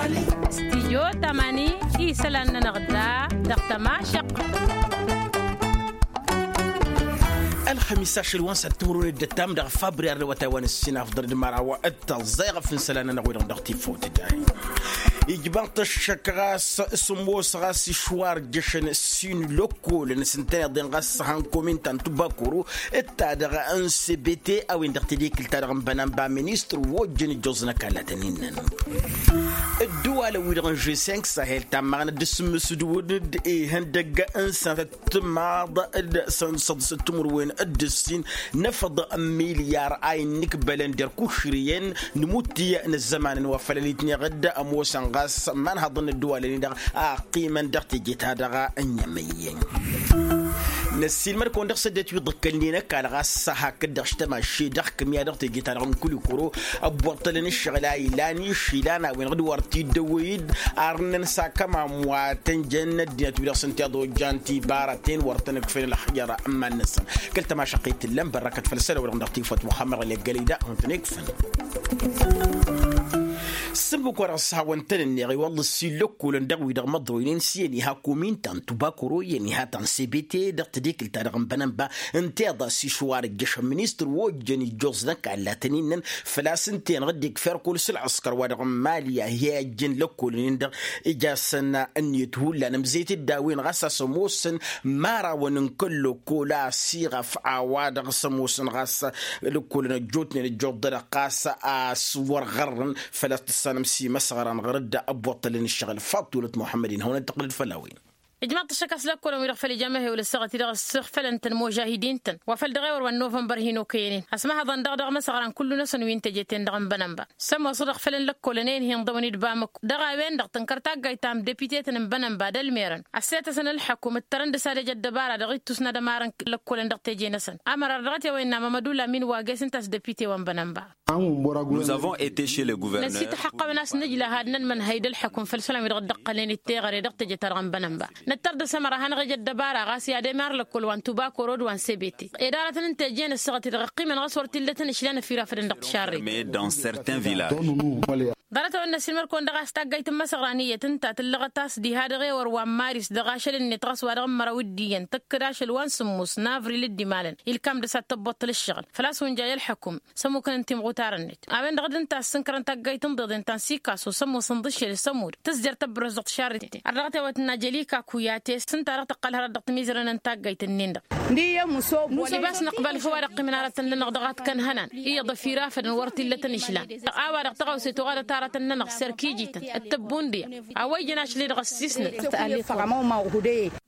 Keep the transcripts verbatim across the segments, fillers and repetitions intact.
Stijyo tamani isălan-nănăɣ da dăɣ-tămašăq. Ălxămis ašăl wa n-săr timǝrwen dd-ăttam dăɣ-fabri arrewăt a-wa n-ǝssin afḍăr d-măraw d-tăẓẓeɣăf n-isălan-nănăɣ-wi-dăɣ dăɣ-tifawt da. Ijbănṭ ăššăk ɣas s-ămoos ɣas išwar jăšăn sin lăkkolăn s-ǝntăneḍ-en ɣas s-han komin ta n-tubakoro d-ta-dăɣ n-sebete a-wen-dăɣ tedekǝlt-ta-dăɣ n-bănănba ministăr wa ojjăn ǝjjoẓ n-ăkall a tăn-innăn. Ădduwalăn-wi-dăɣ n-žessenk sahel tammăɣnăt d-asǝmmǝs d-wǝdd ihăndăgg n-sănatăt timaḍ d-sănatăt timǝrwen d-ǝssin n-efăḍ n-milyar a innǝkbălăn d-erk ušrǝyăn n-imutti n-ăzzămanăn wa făl ălitneɣ-dd ămoosăn ɣas imanhăḍăn n-ădduwalăn-i-dăɣ a ăqqimăn dăɣ-teje-ta-dăɣ. N-ăssiilmăd-kăwăn dăɣ-săddăt wi ḍǝkkălnen ăkall ɣas hakd-dăɣ štămašše dăɣ-kǝmya dăɣ-teje-ta-dăɣ n-kulikuro ăbbuṭṭălăn ǝššăɣǝl a ilan išilan a-wen-dăɣ d-wăr t-dd-ăwwăy-dd arnăn s-akămam wa tăn-jăn ăddinăt-wi-dăɣ s-ǝnta iḍojjan tibaraten wăr tăn-ǝkfen ălxǝjăr n-iman-năsăn. Kăl-tămašăqqit tǝllăm bărrăkăt făll-isălan-wi-dăɣ dăɣ-tiwfăt muxămmăr ălleggălăy da hawăn-tăn-ikfăn. S-ǝmmǝk-wa-dăɣ s-hawăn-tăn-ǝnneɣ i-wălla ǝssin lăkkolăn dăɣ-wi-dăɣ măḍroynen s-iyyăn iha komin ta n-tubakoro iyyăn iha ta n-sebete dăɣ-tedekǝlt-ta-dăɣ n-bănănba ǝnta iḍa s-išwar ǝjjăšăn ministăr wa ojjăn ijjoẓ n-ăkall a tăn-innăn făl-a-s ǝnta-enăɣ dd-ikfa erkul s-ălɣǝskăr wa dăɣ-n mali a hi-ăjjǝn lăkkolăn-in-dăɣ ija-săn ǝnniyăt hullan ămzeyăt-dd a-wen ɣas a-s ămoosăn imărawăn n-kăl-lăkkol a ăsiɣăf a-wa-dăɣ s-ămoosăn ɣas lăkkolăn ăjjootnen ăjjoḍ-dăɣ ɣas a-s wăr ɣărrăn făl-a-s tǝssanăm s-imăsɣăran ɣur-dd ăbbuṭṭălăn ǝššăɣǝl faḍt tulăt muḥămmăd-in hawăn-dd-tăqqǝlăd făll-a-wen. Ijmaḍ-t ăššăk a-s lăkkolăn-wi-dăɣ făl ijamăhewăl ăssaɣăt-i-dăɣ ǝssǝxfălăn-tăn imužahidin-tăn wa făl dăɣ-ewăr wa n-novănbăr hin-okăyăn-in ăsmăhăḍăn dăɣ-dăɣ imăsɣăran kullu-năsăn wi n-teje-ten-dăɣ n-bănănba. S-ămoosăɣ dăɣ-făl n-lăkkolăn a inhǝyăn dăɣ-wăn-dd bamăko dăɣ-a-wen-dăɣ tǝnkăr taggayt ta n-deputetăn n-bănănba d-ălmerăn ăssetăsăn ălḥăkum ǝttărăn dăr-s ad-ejăt dăbara dăɣ-ittus n-ad-ămarăn lăkkolăn dăɣ-teje-năsăn. Ămăra dăɣ-t i-a-wa innă mămădula min wa găs ǝnta a-s depute wa n-bănănba. Năsiit ălḥăqqăwen a-s nǝjla had-nănmănhăy d-ălḥăkum făll-isălan-wi-dăɣ dd-ăqqălnen d-teɣăre dăɣ-teje-ta-dăɣ n-bănănba. Nǝttăr dăr-s ămăra ad-hanăɣ-ejăt dăbara ɣas i-ad-emar lăkkol wa n-tubakoro d-wa n-sebete. Ed aratăn n-teje n-ăssaɣăt-i-dăɣ ăqqimăn ɣas wăr t-illa tăn-ǝšlan ăfirafădăn dăɣ-tišarret. Ḍarăt-a-wen n-ăssiilmăr-kăwăn dăɣ-a-s taggayt n-imăsăɣran iyyăt ǝnta tǝllăɣăt a-s diha dăɣ-ewăr wa n-maris dăɣ-ašăl-net ɣas wa dăɣ-măraw d-iyyăn tăkk d-ašăl wa n-sǝmmos n-avril d-imalăn ilkam dăr-s ad-tăbbuṭṭăl ǝššăɣǝl făl-a-s wǝnjay ălḥăkum. S-ămmukăn n-timɣutar-net a-wen-dăɣ d-ǝnta a ǝssǝnkărăn taggayt n-iḍeḍen ta n-sikaso s-ămoosăn d-ašăl s-ămud tǝzjer tăbbărăs dăɣ-tišarreten. Ar dăɣ-tewăt n-ajălika kuyate s-ǝnta dăɣ-tăqqăl hărăt dăɣ-timizrăn n-taggayt-nin-dăɣ. Nusǝba a-s năqbal făw ad-ăqqimăn aratăn-nănăɣ dăɣ-ad-kănhănan iyyăḍ ăfirafădăn wăr t-illa tăn-išlan. A-wa-dăɣ tăɣawse tuɣadăt aratăn-nănăɣ s-erkijităn d-tăbbundǝya a-wa ijăn ašli dăɣ-ăssisnăt.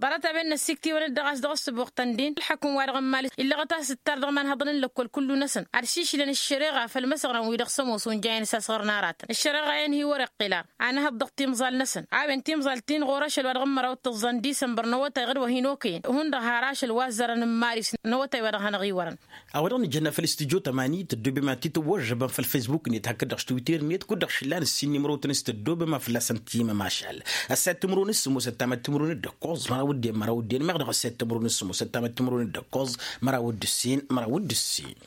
Ḍarăt-a-wen n-ăssiktiwăn-dd dăɣ-a-s dăɣ-ăssǝbuɣtăn-din ǝlḥăkum-wa-dăɣ n-mali illăɣăt a-s ǝttar dăɣ-imanhăḍăn n-lăkkol kullu-năsăn ad-šišlăn ăššăreɣa făll-imăsăɣran-wi-dăɣ s-ămoos unjayăn s-asɣărăn aratăn ăššăreɣa-en hi-wăr-iqqǝl ara. Anăhăḍ dăɣ-timẓal-năsăn a-wen timẓal-ti n-ɣur-ašăl wa dăɣ-n măraw d-tǝẓẓa n-disămbăr n-awătay ɣǝd wa hin-okăyăn hundăɣ har ašăl wa ăzzărăn n-maris n-awătay wa dăɣ-hanăɣ-iwărăn. A-wa dăɣ-nǝjănna făll-studyo tămani tăddobem ad-t-tawwăžžăbăm făll-fesbuk-net hakd-dăɣ s-twitter-net kud-dăɣ šǝllan ǝssin n-imrotăn s-tăddobem a fălla-săn timămašal. Ăssayăt timǝrwen s-sǝmmos ăttamăt timǝrwen d-ǝkkoẓ măraw d-en măraw d-en meɣ dăɣ-ăssayăt timǝrwen s-sǝmmos ăttamăt timǝrwen d-ǝkkoẓ măraw d-ǝssin măraw d-ǝssin.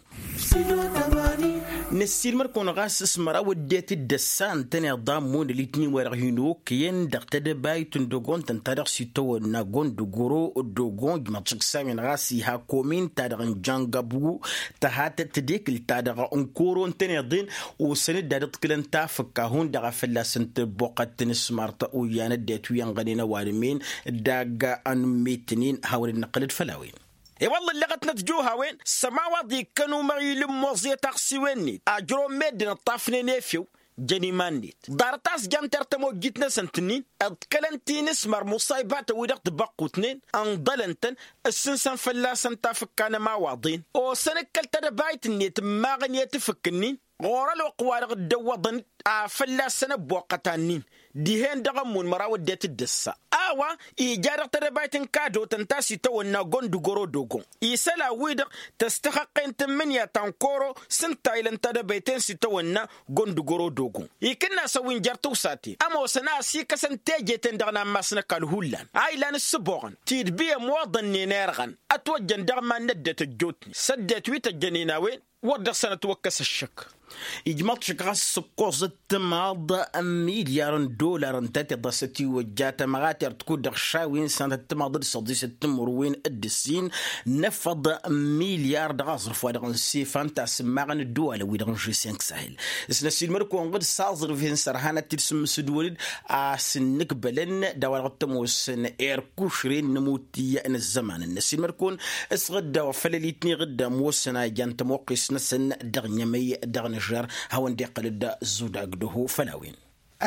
Năssiilmăd-kăwăn ɣas s-măraw ăddinăt d-ăssa ǝntăneḍ a ămmun ălitnin-wa-dăɣ hin-okăyăn dăɣ-tedăbayt n-dăgg-ontăn ta dăɣ-s itawănna gondogoro d-ogon ǝjmăḍ šǝksawen ɣas iha komin-ta-dăɣ n-jăngăbgu tăhat tedekǝlt-ta-dăɣ n-koro ǝntăneḍ-en osăn-dd ad-ǝḍkǝlăn tafǝkka hundăɣ a fălla-săn tăbboqqăt n-asmart oyyan ăddinăt wi ănɣănen ăwadǝm-en. Dagg-anǝmmet-nin hawăn-dd-năqqǝl-dd făll-a-wen. I-wălla ǝllăɣătnăt juha-wen s-ămawaḍ ikkăn umăɣil n-imoẓẓe taɣsiwen-net ajrăwăn meddǝn ǝṭṭafnen efew. Jăn iman-net ḍarăt a-s jăn tertăm ojjit-năsăn tǝnnin ǝḍkălăn tinǝsmăr muṣaybatăn-wi-dăɣ tibăqqutnen ǝnḍălăn-tăn ǝssǝnsăn fălla-săn tafǝkka n-ămawaḍen osăn-ǝkkăl tedăbayt-net ǝmmaɣăn i-tǝfǝk-nin ɣur-ălwăqq-wa-dăɣ dd-ăwwăḍăn-dd a fălla-săn ăbboqqăt annin dihen-dăɣ ămmun măraw ăddinăt d-ăssa. A-wa ija dăɣ-tedăbayt n-kadotăn ta s-itawănna gondugăro d-ogon isălan-wi-dăɣ tăstăxăqqen tǝmmǝnǝya ta n-koro s-ǝnta ilăn tedăbayt-en s-itawănna gondugăro d-ogon ikǝnnas a-wen jer-tawsaten ămoosăn a ăsikăsăn teje-ten-dăɣ n-ammas n-ăkall hullan a ilan ǝssǝboɣăn tidbi ămoḍănnen irɣăn ătwăjjăn dăɣ-iman n-ăddinăt ăjjootnen s-ăddinăt wi tăjjănen a-wen. Wăr dăɣ-săn ătwăkkăs ăššăk. Ijmăḍ šăk ɣas s-ǝkkoẓ ǝttǝmaḍ n-milyar n-dollar ǝnta tiḍa s-ătiwăjja tămɣater tkud dăɣ-šawi n-sănăt ǝttǝmaḍ d-săḍis d-timǝrwen d-ǝssin n-efăḍ n-milyar dăɣ-aẓrǝf wa dăɣ-n sifa n-tasǝmmaɣăn ǝddǝwalăn-wi-dăɣ n-žeseng sahel. S-năsilmăd-kăwăn ɣǝd s-aẓrǝf-en sărhanăt-t-dd s-ǝmmǝsǝdwălăd a-s ǝnnǝkbălăn d-a-wa dăɣ-t-ămoosăn erkušren n-amutǝy n-ăzzăman n-năsilmăd-kăwăn s-ɣǝdda wa făll-ălitni ɣǝdda ămoosăn a ijan tămoqqist-năsăn dăɣ-nămăy dăɣ-nǝžžer. Hawăn-dd-iqqăl-dd zudagdăho făll-a-wen.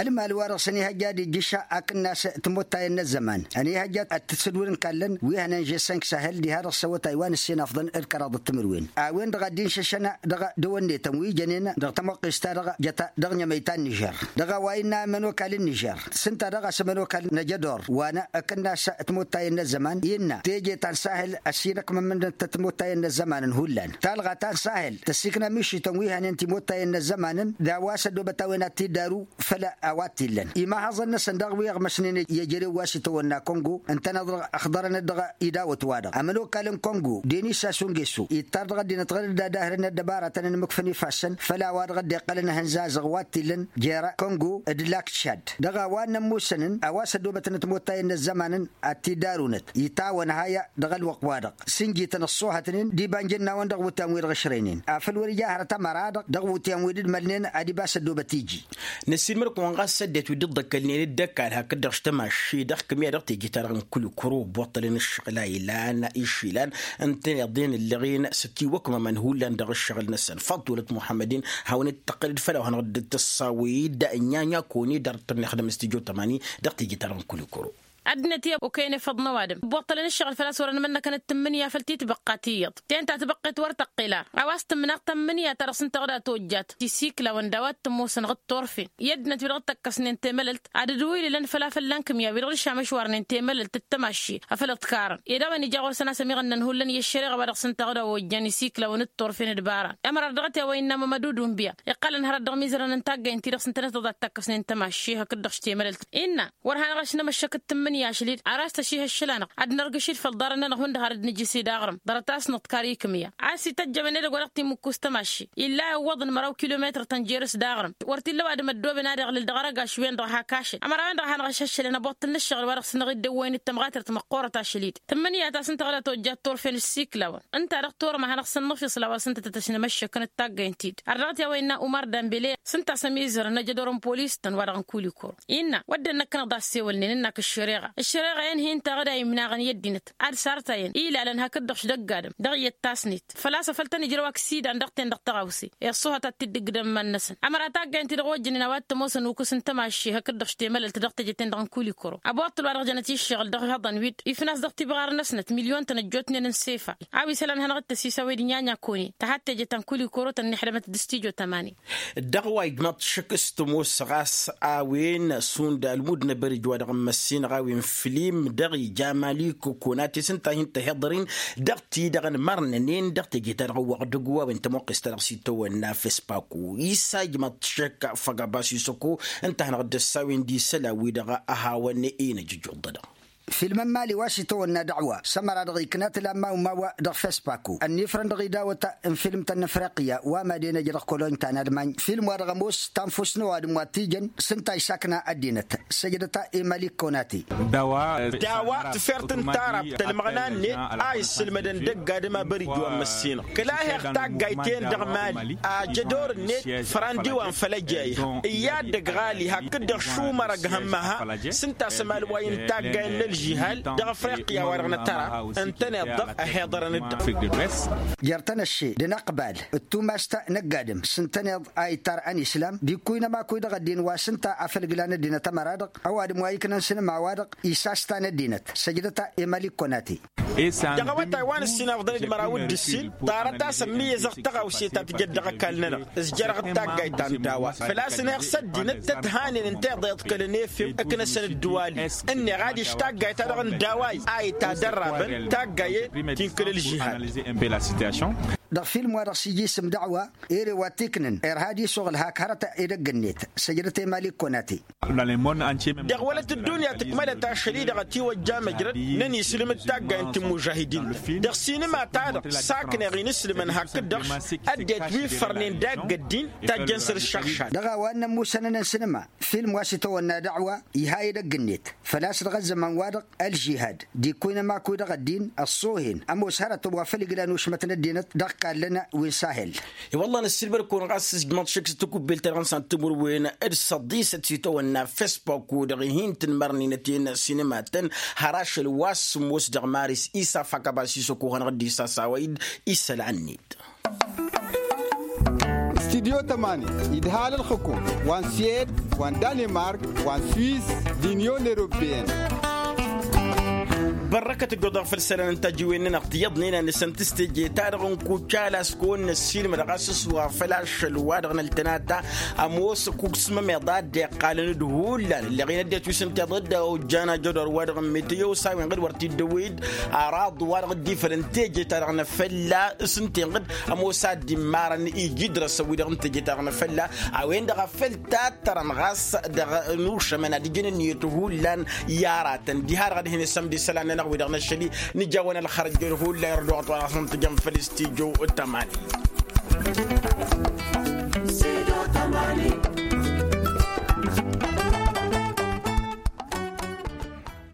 Ălmal-wa-dăɣ s-ănihăjja ad-ijjǝša akǝnnas timutayăn n-ăzzăman ănihăjja ad-t-dd-sǝdwǝd n-kallăn wi hănen žeseng sahel diha-dăɣ s-awătay wa n-ǝssin afḍăn d-kăraḍ d-timǝrwen a-wen-dăɣ a dd-inšăššăn dăɣ-dăwănnetăn wi jănen dăɣ-tămoqqist-ta-dăɣ jăta dăɣ-nămăy ta n-nǝžžer. Dăɣ-a-wa innă ămănokal n-nǝžžer s-ǝnta dăɣ-a-s ămănokal n-ajădor wa n-akǝnnas timutayăn n-ăzzăman innă teje ta n-sahel ăsinăkmămăn-t timutayăn n-ăzzămanăn hullan talɣa ta n-sahel tăsikna mišităn wi hănen timutayăn n-ăzzămanăn d-a-wa s-ăddoobăt a-wen ad-t-dd-aru făll-a-wa t-illăn imahăẓăn-năsăn dăɣ-wi ăɣmăsnen i-ejărew wa s-itawănna kongo ǝntăneḍ-dăɣ ăxḍărăn-dd dăɣ-idawăt-wa-dăɣ ămănokal n-kongo denis asungesu ittar dăɣ-ăddinăt ɣǝd-dd ad-ahrǝn ăddăbaratăn n-imǝkfăn ifassăn făll-a-wa-dăɣ dd-iqqălăn ahǝnza azăɣ wa t-illăn jer-kongo d-lak tšad dăɣ-a-wa n-ămmusăn-n a-wa s-ăddoobătnăt mottayăn n-ăzzămanăn ad-t-dd-arunăt itawăn haya dăɣ-ălwăqq-wa-dăɣ s-ǝnjităn ăṣṣuhătnen d-iba n-ijǝnnawăn dăɣ-iwǝtyan-wi-dăɣ ǝšrăynen afăl wăr-ija hărăt ămăra-dăɣ dăɣ-iwǝtyan-wi dd-mălnen ad-ibas ăddoobăt iji. Năssiilmăd-kăwăn ɣas ăddinăt wi dd-iḍḍăkălnen d-ăkall hakd-dăɣ s-tămašše dăɣ-kǝmya dăɣ-teje-ta-dăɣ n-kulikuro ǝbbuṭṭălăn ǝššăɣǝl a ilan išilan ǝntăneḍ-en ǝllăɣen s-ătiwăkmămăn hullan dăɣ-ǝššăɣǝl-năsăn făḍt wălăt muḥămmăd-in hawăn-dd-tăqqǝlăd făll-a-wa hanăɣ-dd-tǝssawăy-dd n-inya-inya kăwăn-i dăr-tănnixdăm s-tijo tămani dăɣ-teje-ta-dăɣ n-kulikuro. Ăddinăt i-okăyăn efăḍ n-ăwadǝm ǝbbuṭṭălăn ǝššăɣǝl făl-a-s wăren mănnăkăn d-tǝmmǝnǝya făll-t-tibăqqa tiyyăḍ ten ta tibăqqet wăr tăqqel ar a-wa s-tǝmmǝnăɣ tămmǝnǝya ta dăɣ-s ǝnta ɣǝd a tojjat tisiklawăn d-a-wa t-ămoosăn ɣǝd turfen i-ăddinăt wi-dăɣ dd-tăkkăsnen temălălt ad-dd-wilǝlăn făll-a fălla n-kǝmya wi-dăɣ dd-išamăšwarnen temălălt d-tămašše afăl ǝḍkarăn ed a-wen ija ɣur-săn a-s ămiɣănnăn hullan i-ăššăreɣa wa dăɣ-s ǝnta ɣǝd a ojjan isiklawăn d-turfen d-bara. Ămăra dăɣ-t i-a-wa innă mămăd udumbiya iqqălăn hărăt dăɣ-imizărăn n-taggaynt-ti dăɣ-s ǝntăneḍ tăḍattăkkăsnen tămašše hakd-dăɣ š-temălălt innă wăr hanăɣ-ăšnămăššăk d-tǝmmǝnǝya ašlid ar a-s tăšihăššăl-anăɣ ad-nărgǝšid făll-ḍarăn-nănăɣ hundăɣ har dd-nǝjǝs i-daɣrǝm ḍarăt-as nǝḍkar i-kǝmya a-s ităjjămăn edăgg wa dăɣ-timmǝkkust tămašše illa iwwăḍăn măraw kilometăr-tăn jer-s daɣrǝm wăr t-illa ăwadǝm ăddooben ad-iɣlǝl dăɣ-arăgaš-wen-dăɣ hak ašăl ămăra-wen-dăɣ a hanăɣ-ašăššălăn ăboṭṭǝl n-ǝššăɣǝl wa dăɣ-s năɣ-dd-ăwwăyăn d-tămɣatărt măqqoorăt ašăl-i-dd tǝmmǝnǝya ta s-ǝnta ɣǝd a tojjat turfen ǝssiklawăn ǝnta-dăɣ torăm a hanăɣ-sănnăfisla wa s-ǝnta tăt-ăšnămăššăkăn d-taggaynt-ti-dd ar dăɣ-t i-a-wa innă umar dambele s-ǝnta a-s ămizărăn ajădor n-polis-tăn wa dăɣ-n kulikor innă wădden năkk-năɣ d-assewălnen ǝnnak ăššăreɣa ăššăreɣa-en hin-taɣ d-a imnaɣăn i-ăddinăt ad-sartayăn ilalăn hakd-dăɣ š-dăgg-adǝm dăɣ-iyyăt tasnet făl-a-s afăl tăn-ijrăw aksidan dăɣ-ten dăɣ-tăɣawse i-ăṣṣuhăt ad-t-dd-ǝggǝdăn iman-năsăn ămăra taggaynt-ti-dăɣ ojjănen a-wa t-ămoosăn ukǝs n-tămašše hakd-dăɣ š-temălălt dăɣ-teje-ten-dăɣ n-kulikoro ăboṭṭăl wa dăɣ-jănăt iššăɣǝl dăɣ-ihăḍăn wi-dd ifnas dăɣ-tibɣar-năsnăt milyon-tăn ăjjootnen n-sefa a-wa isălan hanăɣ-dd-tăsisawăy d-inyanya kăwăn-in tăhat teje ta n-kulikoro tănnihădămăt d-stijo tămani. Dăɣ-wa ijmaḍ-t šăkk s-tămoos ɣas a-wen šund ălmud n-abărij wa dăɣ-n măssinăɣ a-wen flim dăɣ-ija malik konati s-ǝnta a hin-tăhiḍăr-in dăɣ-ti-dăɣ n-imărnănen dăɣ-teje-ta-dăɣ n-wăɣdăggu a-wen tămoqqes-ta-dăɣ s-itawănna fespaku isa ijmaḍ-t šăkk făgabas isăko ǝnta a hanăɣ-dd-ăssawen d-isălan-wi-dăɣ a hawăn-inăjjăj uḍădăɣ. Filmăn mali wa s-itawănna dăɣ-wa s-ămăra-dăɣ ikna tǝlamma umawa dăɣ-fespaku ănnifrăn dăɣ-idawăt n-filmtăn n-afriqya wa mad-enăj dăɣ-koloñ ta n-almany film-wa-dăɣ ămoos tanfust n-ăwadǝm wa t-ijăn s-ǝnta a isakna ăddinăt săjdăt i-malik konati. Dawa tǝfert n-tarab tălmăɣna-net a issǝlmădăn dăgg-adǝm abărij wa n-măssinăɣ kăla heɣ taggayt-en dăɣ-mali ajădor-net fărandi wa n-făl ăjayha iyyă ad-dăgg-ɣali hakd-dăɣ šumărăg hămmăha s-ǝnta a-s ămal wa i-n-taggay n-ălžihal dăɣ-afriqya wa dăɣ-nătăra ǝntăneḍ-dăɣ ăhiḍărăn-dd. Jer-tăn-ăšše d-inăqbal d-tumast n-ăgg-adǝm s-ǝntăneḍ a ittar ănislam d-ikkuy n-ămakuy dăɣ-ăddin wa s-ǝnta a făl glan ăddinăt ămăra-dăɣ ăwadǝm wa iknăn s-inǝma-wa-dăɣ isastan ăddinăt săjdăt i-malik konati. Dăɣ-awătay wa n-ǝssin afḍăn d-măraw d-ǝssin ḍarăt a-s ămmiyyăzăɣ tăɣawse ta tǝjăd dăɣ-ăkall-nănăɣ s-jărăɣ d-taggayt ta n-dawa făl-a-s ǝnheɣ s-ăddinăt tăt-hanen ǝnta iḍeḍkălăn efew ǝknăsăn ăddǝwal-i ǝnneɣ adiš taggayt-ta-dăɣ n-dawa-i a itadărrabăn taggayen ti n-kăl-ălžihad. dăɣ-film-wa-dăɣ s-ija isǝm dăɣwa. Ere wa t-iknǝn irha ad-isuɣǝl hak hărăt edăgg-net săjdăt i-mali kăwăn-ati. Dăɣ-wălăt ăddunya tǝkmălăt ašăl-i-dăɣ ătiwăjja măjrăd n-ăniislǝm d-taggay n-timužahidin-tăn dăɣ-sinǝma-ta-dăɣ sakneɣ-in ǝslǝmăn hakd-dăɣ. Ăddinăt wi fărnen dagg ăddin tajjăn săr-ǝššăɣšad. Dăɣ-a-wa n-ămmusănăn n-sinǝma film wa s-itawănna dăɣ-wa iha edăgg-net făl-a-s dăɣ-ăzzăman-wa-dăɣ ălžihad d-ikkuy n-ămakuy dăɣ-ăddin ăṣṣoohen ămoos hărătăn wa făl iglan ušmăt n-ăddinăt dăɣ-kallăn wi n-sahel. I-wălla năssiilmăd-kăwăn ɣas s-ǝjmăḍ šik s-takubelt ta dăɣ-nǝsan timǝrwen d-săḍisăt s-itawănna fesbuk-wen-dăɣ ihin-tǝnmărnen ătiyăn sinǝma-tăn har ašăl wa s-sǝmmos dăɣ-maris isaf hakaba s-isăkuhăn ɣǝddis a-s a-wa dd-isălan-net. Studyo tămani idhal ǝlxǝkum wa n-suwed wa n-danimark wa n-swiss d-inyon eropeyăn. Bărrăkăt ǝjjuḍăɣ făll-isălan n-tajiwen-nănăɣ tiyyăḍnen a nǝsăn tǝsteje-ta-dăɣ n-kucala s-kăwăn-năssiilmăd ɣas s-wa făl ašăl-wa-dăɣ n-ăltănata ămoos kuksmămeḍ a dd-iqqalăn d-hullan ǝlleɣ-in ăddinăt wi s-ǝnta iḍa dd-ojjan ajădor-wa-dăɣ n-meteo s-a-wen ɣǝd wăr t-dd-ăwwăy-dd araḍ-wa-dăɣ dd-ifălăn teje-ta-dăɣ n-afălla s-ǝnta-en ɣǝd ămoos a dd-immarăn iji idrăsăn wi-dăɣ n-teje-ta-dăɣ n-afălla a-wen-dăɣ a făl tattărăn ɣas dăɣ-nušămăn ad-ǝjǝn ǝnniyăt hullan i-aratăn diha-dăɣ ad-hin-isămd isălan-nănăɣ wi-dăɣ n-ašăl-i. Nǝjawăn ălxărăj hullan irăd wa ɣas n-tǝjăm făll-studyo tămani.